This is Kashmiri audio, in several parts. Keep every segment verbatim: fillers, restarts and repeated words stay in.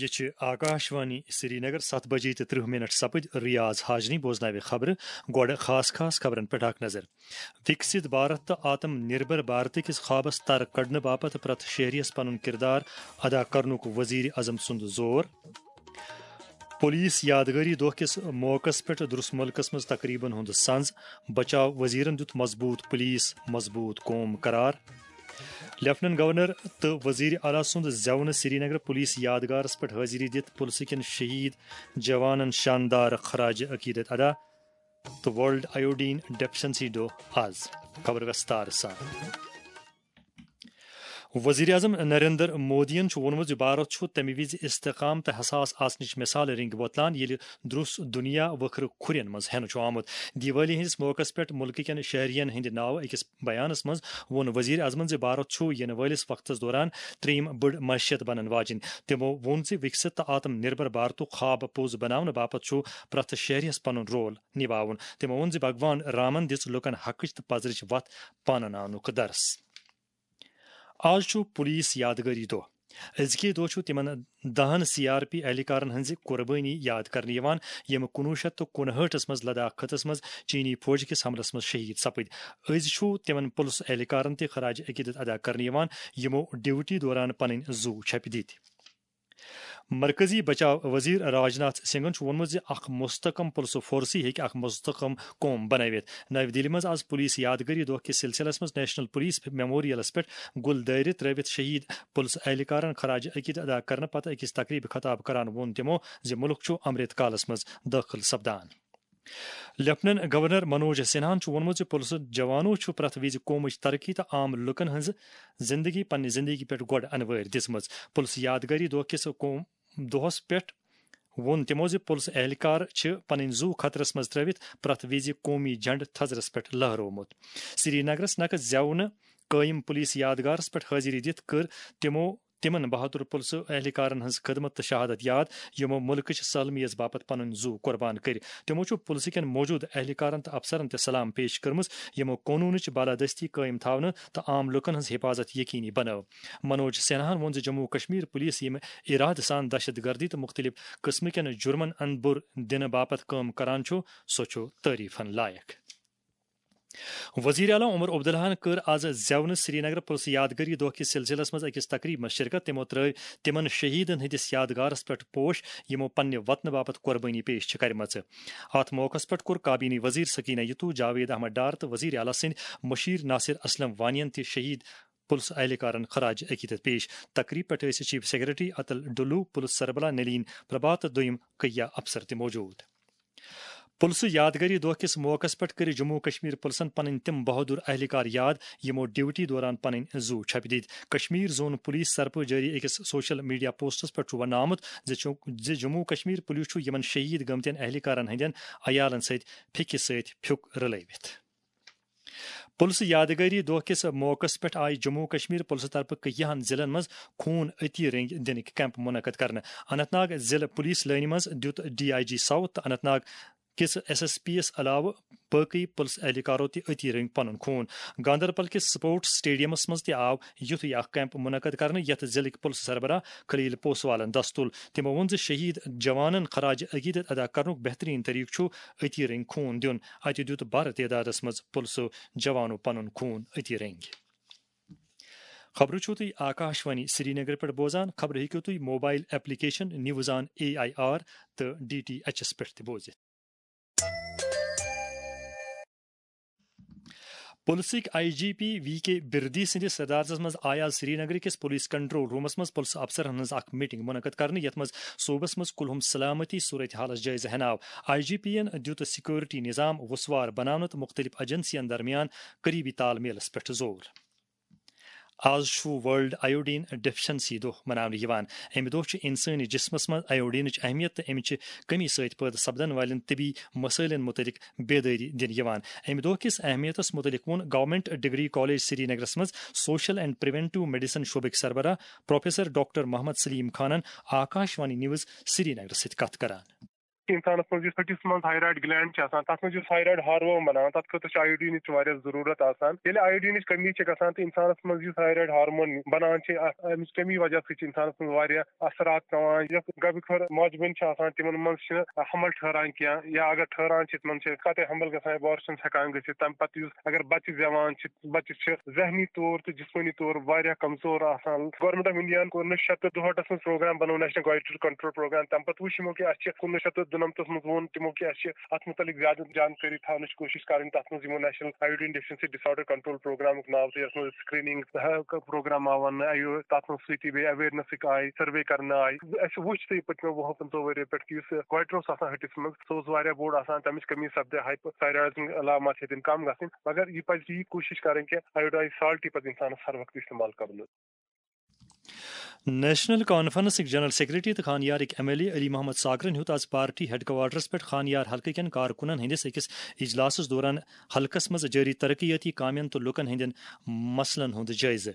یہِ چھِ آکاشوانی سرینگر۔ ستھ بجے تہٕ ترٕہ منٹ سپٕدۍ۔ ریاض حاجنی بوزناوِ خبرٕ۔ گۄڈٕ خاص خاص خبرن پٮ۪ٹھ اکھ نظر۔ وِکسِت بھارت تہٕ آتم نِربھر بھارت کِس خوابس تر کڑنہٕ باپتھ پرٛٮ۪تھ شہریَس پنُن کردار ادا کرنُک وزیر اعظم سُنٛد زور۔ پولیس یادگٲری دۄہ کِس موقعس پٮ۪ٹھ درس مُلکس منٛز تقریبن ہُنٛد سنز۔ بچاو وزیرن دیُت مضبوط پولیس، مضبوط قوم قرار۔ لیفٹیننٹ گورنر تہٕ وزیر اعلیٰ سُنٛد زیونہٕ۔ سرینگر پولیس یادگارس پٮ۪ٹھ حٲضری دِتھ پُلسہٕ کٮ۪ن شہید جوانن شاندار خراج عقیدت ادا۔ تہٕ ورلڈ آیوڈین ڈیفیشنسی دۄہ آز۔ خبر وستار سان۔ وزیر اعظم نریندر مودیَن چھُ ووٚنمُت زِ بھارت چھُ تَمہِ وِزِ استحکام تہٕ حساس آسنٕچ مثال رنگۍ وۄتلان، ییٚلہِ درُس دُنیا وٕکھرٕ کھُرٮ۪ن منٛز ہٮ۪نہٕ چھُ آمُت۔ دیوالی ہٕنٛدِس موقعس پٮ۪ٹھ مُلکہٕ کٮ۪ن شہرین ہٕنٛدِ ناوٕ أکِس بیانس منٛز ووٚن وزیر اعظمن زِ بھارت چھُ یِنہٕ وٲلِس وقتس دوران ترٛیٚیِم بٔڑ معیشت بنن واجِنۍ۔ تِمو ووٚن زِ وِکسِت تہٕ آتم نِربھر بھارتُک خواب پوٚز بناونہٕ باپتھ چھُ پرٛٮ۪تھ شہریَس پنُن رول نِباوُن۔ تِمو ووٚن زِ بھگوان رامن دِژ لوٗکن حقٕچ تہٕ پزرٕچ وتھ پانہٕ ناونُک درس۔ آز چھُ پولیس یادگٲری دۄہ۔ أزکہِ دۄہ چھُ تِمن دَہن سی آر پی اہلکارن ہٕنٛزِ قربٲنی یاد کرنہٕ یِوان، یِم کُنوُہ شیٚتھ تہٕ کُنہٲٹھس منٛز لداخ خطس منٛز چینی فوج کِس حملس منٛز شہید سپٕدۍ۔ أزۍ چھُ تِمن پُلس اہلکارن تہِ خراج عقیدت ادا کرنہٕ یِوان، یِمو ڈیوٹی دوران پنٕنۍ زُو چھپہِ دِتۍ۔ مرکزی بچاو وزیر راج ناتھ سنگھن چھُ ووٚنمُت زِ اکھ مستحکم پُلسہٕ فورسٕے ہیٚکہِ اکھ مستحکم قوم بنٲوِتھ۔ نَوِ دِلہِ منٛز آز پولیس یادگٲری دۄہ کِس سلسلس منٛز نیشنل پولیس میموریلس پٮ۪ٹھ گُل دٲرِتھ ترٲوِتھ شہید پُلسہٕ اہلکارن خراج عقیدت ادا کرنہٕ پتہٕ أکِس تقریبہِ خطاب کران ووٚن تِمو زِ مُلک چھُ امرت کالس منٛز دٲخل سپدان۔ لیفٹیننٹ گورنر منوج سنہاہن چھُ ووٚنمُت زِ پُلسہٕ جوانو چھُ پرٛٮ۪تھ وِزِ قومٕچ ترقی تہٕ عام لُکن ہٕنٛز زندگی پننہِ زندگی پٮ۪ٹھ گۄڈٕ انوٲرۍ دِژمٕژ۔ پُلسہٕ یادگٲری دۄہ کِس قوم-، دۄہس پٮ۪ٹھ ووٚن تِمو زِ پُلسہٕ اہلکار چھِ پنٕنۍ زُو خطرس منٛز ترٲوِتھ پرٛٮ۪تھ وِزِ قومی جھنڈٕ تھزرس پٮ۪ٹھ لہرومُت۔ سرینگرس نقد زیونہٕ قٲیِم پُلیٖس یادگارس پٮ۪ٹھ حٲضری دِتھ کٔر تِمو تِمن بہادُر پُلسہٕ اہلکارن ہٕنٛز خدمت تہٕ شہادت یاد، یِمو مُلکٕچ سالمیت باپتھ پنٕنۍ زُو قربان کٔرۍ۔ تِمو چھُ پُلسہٕ کٮ۪ن موجودٕ اہلکارن تہٕ افسرن تہِ سلام پیش کٔرمٕژ، یِمو قونوٗنٕچ بالادستی قٲیِم تھاونہٕ تہٕ عام لوٗکن ہٕنٛز حفاظت یقینی بنٲو۔ منوج سنہاہن ووٚن زِ جموں و کشمیر پُلیٖس ییٚمہِ ارادٕ سان دہشت گردی تہٕ مُختٔلِف قٕسمہٕ کٮ۪ن جُرمن اندبُر دِنہٕ باپتھ کٲم کران چھُ، سُہ چھُ تعریفن لایق۔ وزیر اعلیٰ عمر عبداللہن کٔر آز زیونہٕ سرینگر پُلسہٕ یادگٲری دۄہ کِس سلسلس منٛز أکِس تقریبہِ منٛز شرکت۔ تِمو ترٲوۍ تِمن شہیدن ہٕنٛدِس یادگارس پٮ۪ٹھ پوش، یِمو پننہِ وطنہٕ باپتھ قربٲنی پیش چھِ کرِمژٕ۔ اتھ موقعس پٮ۪ٹھ کوٚر کابینی وزیر سکینہ یتو، جاوید احمد ڈار تہٕ وزیر اعلیٰ سٕنٛدۍ مشیر ناصر اسلم وانین تہِ شہید پُلسہٕ اہلکارن خراج عقیدت پیش۔ تقریب پٮ۪ٹھ ٲسۍ چیف سیکرٹری اتل ڈلو، پُلسہٕ سربراہ نلین پربھا تہٕ دوٚیم کیا افسر تہِ موجود۔ پُلسہٕ یادگٲری دۄہ کِس موقعس پٮ۪ٹھ کٔرۍ جموں و کشمیر پُلسن پنٕنۍ تِم بہادُر اہلکار یاد، یِمو ڈیوٹی دوران پنٕنۍ زُو چھپہِ دِتۍ۔ کشمیر زون پُلیٖس طرفہٕ جٲری أکِس سوشل میڈیا پوسٹس پٮ۪ٹھ چھُ وننہٕ آمُت زِ چو-، زِ جموں و کشمیر پُلیٖس چھُ یِمن شہید گٔمتٮ۪ن اہلکارن ہٕنٛدٮ۪ن عیالن سۭتۍ پھیٚکہِ سۭتۍ پھیُک رلٲوِتھ۔ پُلسہٕ یادگٲری دۄہ کِس موقعس پٮ۪ٹھ آیہِ جموں و کشمیر پُلسہٕ طرفہٕ کیاہن ضلعن منٛز خوٗن عطیہ رٔنگۍ دِنٕکۍ کیمپ منعقد کرنہٕ۔ اننت ناگ ضلع پُلیٖس لٲنہِ منٛز دیُت ڈی آئی جی ساؤتھ تہٕ اننت ناگ کِس ایس ایس پی یَس علاوٕ باقٕے پُلسہٕ اہلکارو تہِ عطیہ رٔنگۍ پنُن خوٗن۔ گاندربل کِس سپورٹس اسٹیڈیمس منٛز تہِ آو یُتھُے اکھ کیمپ منعقد کرنہٕ، یتھ ضلعٕکۍ پُلسہٕ سربراہ خلیل پوسوالن دست تُل۔ تِمو ووٚن زِ شہید جوانن خراج عقیدت ادا کرنُک بہترین طریقہٕ چھُ عطیہ رٔنگۍ خوٗن دیُن۔ اتہِ دیُت بھر تعدادس منٛز پُلسہٕ جوانو پنُن خوٗن عطیہ رٔنگۍ۔ خبرٕ چھِو تُہۍ آکاشوانی سرینگر پٮ۪ٹھ بوزان۔ خبرٕ ہیٚکِو تُہۍ mobile application news on A I R تہٕ ڈی ٹی ایچ ایس پٮ۪ٹھ تہِ بوٗزِتھ۔ پُلسٕکۍ I G P V K Birdi سٕنٛدِس صدارتس منٛز آیہِ آز سرینگرٕ کِس پُلیٖس کنٹرول روٗمس منٛز پُلسہٕ افسرن ہٕنٛز اکھ میٹنگ منعقد کرنہٕ، یتھ منٛز صوبس منٛز کُلہُم سلامتی صورتحالس جٲیزٕ ہیناو۔ آئی جی پی ین دیُت سیکورٹی نظام وُسوار بناونہٕ تہٕ مُختٔلِف ایجنسین درمیان قریبی تال میلس پٮ۪ٹھ زور۔ آز چھُ ورلڈ آیوڈین ڈیفیشنسی دۄہ مناونہٕ یِوان۔ اَمہِ دۄہ چھُ اِنسٲنی جسمس منٛز آیوڈینٕچ اہمیت تہٕ اَمہِ چہِ کٔمی سۭتۍ پٲدٕ سپدن والٮ۪ن طبی مسٲیلن مُتعلق بیدٲری دِنہٕ یِوان۔ اَمہِ دۄہ کِس اہمیتس مُتعلق ووٚن گورنمنٹ ڈگری کالج سرینگرس منٛز سوشل اینڈ پریونٹیو میڈیسن شعبٕکۍ سربراہ پروفیسر ڈاکٹر محمد سلیم خانن آکاشوانی نیوز سرینگرس سۭتۍ کتھ کران۔ اِنسانَس منٛز یُس ۂٹِس منٛز تھایرایِڈ گلینڈ چھِ آسان، تَتھ منٛز یُس تھایرایِڈ ہارمون بَناوان، تَتھ خٲطرٕ چھُ آیوڈیٖنٕچ واریاہ ضروٗرت آسان۔ ییٚلہِ آیوڈیٖنٕچ کٔمی چھِ گژھان تہٕ اِنسانَس منٛز یُس تھایرایِڈ ہارمون بَنان چھِ، اَتھ، اَمِچ کٔمی وجہ سۭتۍ چھِ اِنسانَس منٛز واریاہ اثرات پٮ۪وان۔ یۄس گۄڈٕ خٲر ماجہِ بیٚنہِ چھِ آسان، تِمَن منٛز چھِنہٕ حمل ٹھہران کینٛہہ، یا اگر ٹھہران چھِ، تِمَن چھِ قطع حمل گژھان، abortion ہٮ۪کان گٔژھِتھ۔ تَمہِ پَتہٕ یُس اگر بَچہِ زٮ۪وان چھِ، بَچہِ چھِ ذہنی طور تہٕ جسمٲنی طور واریاہ کمزور آسان۔ Government of India ہن کوٚر نہٕ شیٚتہٕ دُہٲٹھس منٛز پروگرام بنوو، National Goiter Control Program۔ تَمہِ پَتہٕ وٕچھ یِمو کہِ اَسہِ چھِ کُنوُہ شیٚتھ تہٕ دُنَمتَس منٛز ووٚن تِمو کہِ اَسہِ چھِ اَتھ مُتعلِق زیادٕ جانکٲری تھاونٕچ کوٗشِش کَرٕنۍ۔ تَتھ منٛز یِمو National Iodine Deficiency Disorder Control Program ناو تہٕ یَتھ منٛز screening program آو وَننہٕ، آیو تَتھ منٛز سۭتی بیٚیہِ awarenessٕکۍ آیہِ، survey کرنہٕ آیہِ۔ اَسہِ وٕچھ تہٕ یہِ پٔتمیو وُہو پٕنٛژٕہو ؤریو پٮ۪ٹھ کہِ یُس goiter اوس آسان ۂٹِس منٛز، سُہ اوس واریاہ بوٚڑ آسان، تَمِچ کٔمی سپدے، hypothyroidism علامات ہیٚتِن کم گژھٕنۍ، مگر یہِ پزِ یہِ کوٗشش کرٕنۍ کہِ iodine salt یہِ پزِ انسانس ہر وقتہٕ استعمال کرُن۔ نیشنل کانفرنسٕکۍ جنرل سیکرٹری تہٕ خانیارٕکۍ M L A Ali Mohammad ساگرن ہیوٚت آز پارٹی ہیڈ کوارٹرس پٮ۪ٹھ خانیار حلقہٕ کٮ۪ن کارکنن ہٕنٛدِس أکِس اجلاسس دوران حلقس منٛز جٲری ترقیٲتی کامٮ۪ن تہٕ لوٗکن ہٕنٛدٮ۪ن مسلن ہُنٛد جٲیزٕ۔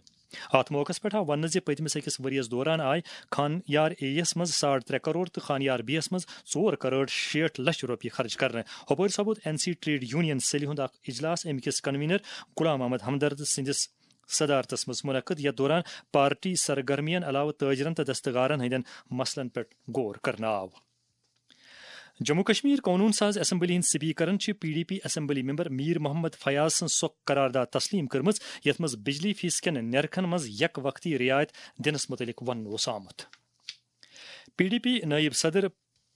اتھ موقعس پٮ۪ٹھ آو وننہٕ زِ پٔتمِس أکِس ؤرۍ یَس دوران آیہِ خانیار اے یَس منٛز ساڑ ترٛےٚ کرور تہٕ خانیار بی یَس منٛز ژور کرور شیٹھ لچھ رۄپیہِ خرٕچ کرنہٕ۔ ہُپٲرۍ سپُد این سی ٹریڈ یونین سیلہِ ہُنٛد اکھ اجلاس، اَمہِ کِس کنوینر غلام محمد ہمدرد سٕنٛدِس صدارتس منٛز منعقد، یتھ دوران پارٹی سرگرمین علاوٕ تاجرن تہٕ دستکارن ہٕنٛدٮ۪ن مسلن پٮ۪ٹھ غور کرنہٕ آو۔ جموں کشمیر قونوٗن ساز اسمبلی ہٕنٛدۍ سپیکرن چھِ P D P assembly member Mir Mohammad Fayaz سٕنٛز سۄ قرارداد تسلیم کٔرمٕژ، یتھ منٛز بجلی فیس کٮ۪ن نرخن منٛز یک وقتی رعایت دِنس مُتعلق وننہٕ اوس آمُت۔ پی ڈی پی نٲیِب صدر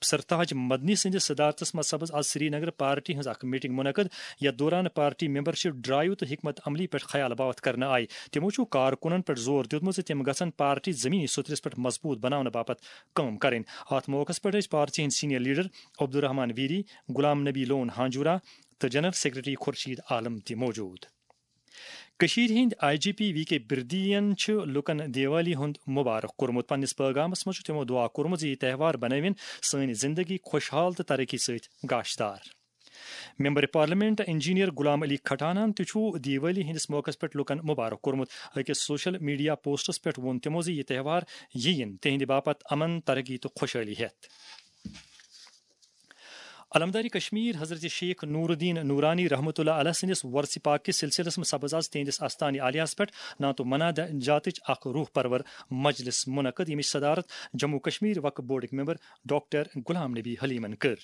سرتاج مدنی سٕنٛدِس صدارتس منٛز سپٕز آز سری نگر پارٹی ہٕنٛز اکھ میٹنگ منعقد، یتھ دوران پارٹی ممبرشپ ڈرائیو تہٕ حکمت عملی پٮ۪ٹھ خیال باوتھ کرنہٕ آیہِ۔ تِمو چھُ کارکنن پٮ۪ٹھ زور دیُتمُت زِ تِم گژھن پارٹی زمینی سوٚترِس پٮ۪ٹھ مضبوٗط بناونہٕ باپتھ کٲم کرٕنۍ۔ اتھ موقعس پٮ۪ٹھ ٲسۍ پارٹی ہٕنٛدۍ سینئر لیڈر عبدالرحمان ویری، غلام نبی لون ہانجورا تہٕ جنرل سیکرٹری خورشید عالم تہِ موجود۔ کٔشیٖرِ ہٕنٛدۍ آئی جی پی وی کے بردین چھُ لوٗکن دیوالی ہُنٛد مبارک کوٚرمُت۔ پننِس پٲغامس منٛز چھُ تِمو دُعا کوٚرمُت زِ یہِ تہوار بنٲوِن سٲنۍ زِندگی خۄشحال تہٕ ترقی سۭتۍ گاشدار۔ Member parliament engineer Ghulam Ali کھٹانہن تہِ چھُ دیوالی ہٕنٛدِس موقعس پٮ۪ٹھ لوٗکن مبارک کوٚرمُت۔ أکِس سوشل میڈیا پوسٹس پٮ۪ٹھ ووٚن تِمو زِ یہِ تہوار یِیِن تِہنٛدِ باپتھ امن، ترقی تہٕ خۄشحٲلی ہٮ۪تھ۔ علمدار کشمیر حضرت شیخ نور الدین نورانی رحمۃ اللہ علیہ سٕنٛدِس وۄرثہِ پاک کِس سلسلس منٛز سپٕز آز تِہنٛدِس آستانہِ عالیہس پٮ۪ٹھ نعت و مناجاتٕچ اکھ روح پرور مجلس منعقد، ییٚمِچ صدارت جموں کشمیر وقف بورڈٕکۍ ممبر ڈاکٹر غلام نبی حلیمن کٔر۔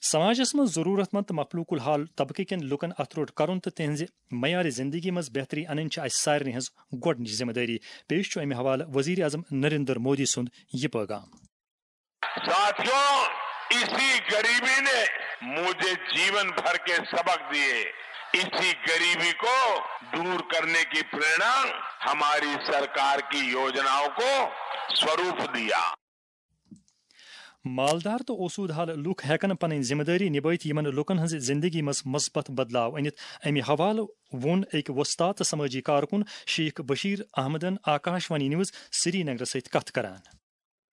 سماجس منٛز ضروٗرت مند تہٕ مخلوق الحال طبقہٕ کٮ۪ن لوٗکن اتھٕ روٚٹ کرُن تہٕ تِہنٛزِ معیار زندگی منٛز بہتری انٕنۍ چھِ اسہِ سارنٕے ہٕنٛز گۄڈٕنِچ ذمہٕ دٲری۔ پیش چھُ امہِ حوالہٕ وزیر اعظم نریندر مودی سُنٛد یہِ پٲغام۔ ساتھیوں، اسی غریبی نے مجھے جیون بھر کے سبق دیے۔ اسی غریبی کو دور کرنے کی प्रेरणा ہماری सरकार की योजनाओं को स्वरूप दिया۔ مالدار تہٕ اوسوٗد حال لوٗکھ ہٮ۪کن پنٕنۍ ذمہٕ دٲری نِبٲوِتھ یِمن لوٗکن ہٕنٛزِ زِندگی منٛز مثبت بدلاو أنِتھ۔ امہِ حوالہٕ ووٚن أکۍ وۄستاد تہٕ سمٲجی کارکُن شیخ بشیر احمدن آکاش وانی نیوز سری نگرس سۭتۍ کتھ کران۔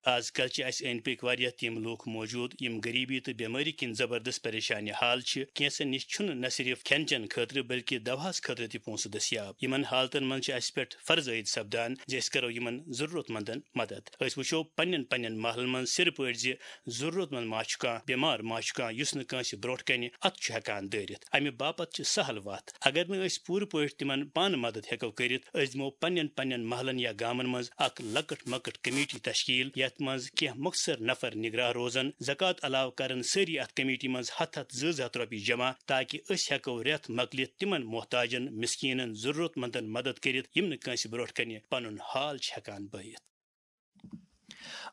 از کل چھِ اسہِ أنٛدۍ پٔکۍ واریاہ تِم لوٗکھ موجود، یِم غریبی تہٕ بٮ۪مٲری کِنۍ زبردست پریشانہِ حال چھِ۔ کینٛژن نِش چھُنہٕ نہ صرف کھٮ۪ن چٮ۪ن خٲطرٕ بلکہِ دواہس خٲطرٕ تہِ پونٛسہٕ دٔستیاب۔ یِمن حالتن منٛز چھِ اسہِ پٮ۪ٹھ فرض عٲید سپدان زِ أسۍ کرو یِمن ضرورت مندن مدد۔ أسۍ وٕچھو پننٮ۪ن پننٮ۪ن محلن منٛز سِرٕ پٲٹھۍ زِ ضرورت مند ما چھُ کانٛہہ، بٮ۪مار ما چھُ کانٛہہ یُس نہٕ کٲنٛسہِ برونٛٹھ کنہِ اتھٕ چھُ ہٮ۪کان دٲرِتھ۔ امہِ باپتھ چھِ سہل وتھ۔ اگر نہٕ أسۍ پوٗرٕ پٲٹھۍ تِمن پانہٕ مدد ہٮ۪کو کٔرِتھ، أسۍ دِمو پننٮ۪ن پننٮ۪ن محلن یا گامن منٛز اکھ لۄکٕٹ مۄکٕٹ کمیٹی تشکیل، یتھ منٛز کینٛہہ مۄخصر نفر نگراہ روزن۔ زکوٰۃ علاوٕ کرن سٲری اتھ کمیٹی منٛز ہتھ ہتھ زٕ زٕ ہتھ رۄپیہِ جمع، تاکہ أسۍ ہٮ۪کو رٮ۪تھ مۄکلِتھ تِمن محتاجن، مسکینن، ضرورت مندن مدد کٔرِتھ، یِم نہٕ کٲنٛسہِ برونٛٹھ کنہِ پنُن حال چھِ ہٮ۪کان بٲیِتھ۔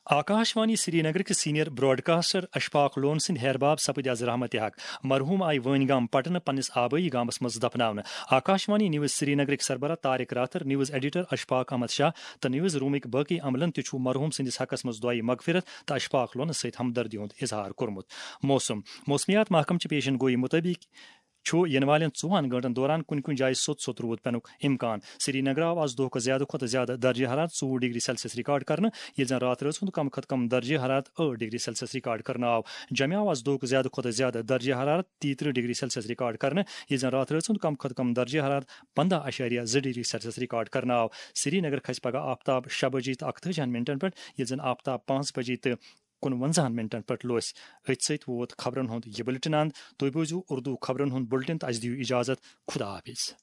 آکاش وانی سری نگر کِس سینئر براڈکاسٹر اشفاق لون سٕنٛدۍ ہیرباب سپٕدۍ از رحمتِ حق۔ مرحوم آیہِ وٲنۍ گام پٹنہٕ پننِس آبٲیی گامس منٛز دفناونہٕ۔ آکاش وانی نیوز سری نگرٕکۍ سربراہ طارق راتھر، نیوز ایڈیٹر اشفاق احمد شاہ تہٕ نیوز رومٕکۍ باقٕے عملن تہِ چھُ مرحوم سٕنٛدِس حقس منٛز دعایہِ مغفرت تہٕ اشفاق لونس سۭتۍ ہمدردی ہُنٛد اظہار کوٚرمُت۔ موسم۔ موسمیات محکمہٕ چہِ پیشن گویی مُطٲبِق چھُ یِنہٕ والٮ۪ن ژوٚوُہن گٲنٛٹن دوران کُنہِ کُنہِ جایہِ سوٚت سوٚت روٗد پٮ۪نُک امکان۔ سری نگر آو از دۄہ کھۄتہٕ زیادٕ کھۄتہٕ زیادٕ درجہ حرارت ژوٚوُہ ڈگری سیلسیس ریکارڈ کرنہٕ، ییٚلہِ زن راتھ رٲژ ہُنٛد کم کھۄتہٕ کم درجہ حرارت ٲٹھ ڈگری سیلسیس ریکارڈ کرنہٕ آو۔ جمہِ آو از دۄہ کھۄتہٕ زیادٕ کھۄتہٕ زیادٕ درجہ حرارت تیٚیہِ ترٕٛہ ڈگری سیلسیس ریکارڈ کرنہٕ، ییٚلہِ زن راتھ رٲژ ہُنٛد کم کھۄتہٕ کم درجہ حرارت پنٛداہ اعشاریہ زٕ ڈگری سیلسیس ریکارڈ کرنہٕ آو۔ سری نگر کھسہِ پگہہ آفتاب شےٚ بجے تہٕ اکتٲجِہن منٹن پٮ۪ٹھ، ییٚلہِ زن آفتاب پانٛژھ بجے تہٕ کُنوَنزاہن منٹن پٮ۪ٹھ لوٚسۍ۔ أتھۍ سۭتۍ ووت خبرن ہُنٛد یہِ بُلٹن اند۔ تُہۍ بوٗزِو اردو خبرن ہُنٛد بُلٹن تہٕ اسہِ دِیِو اجازت۔ خدا حافظ۔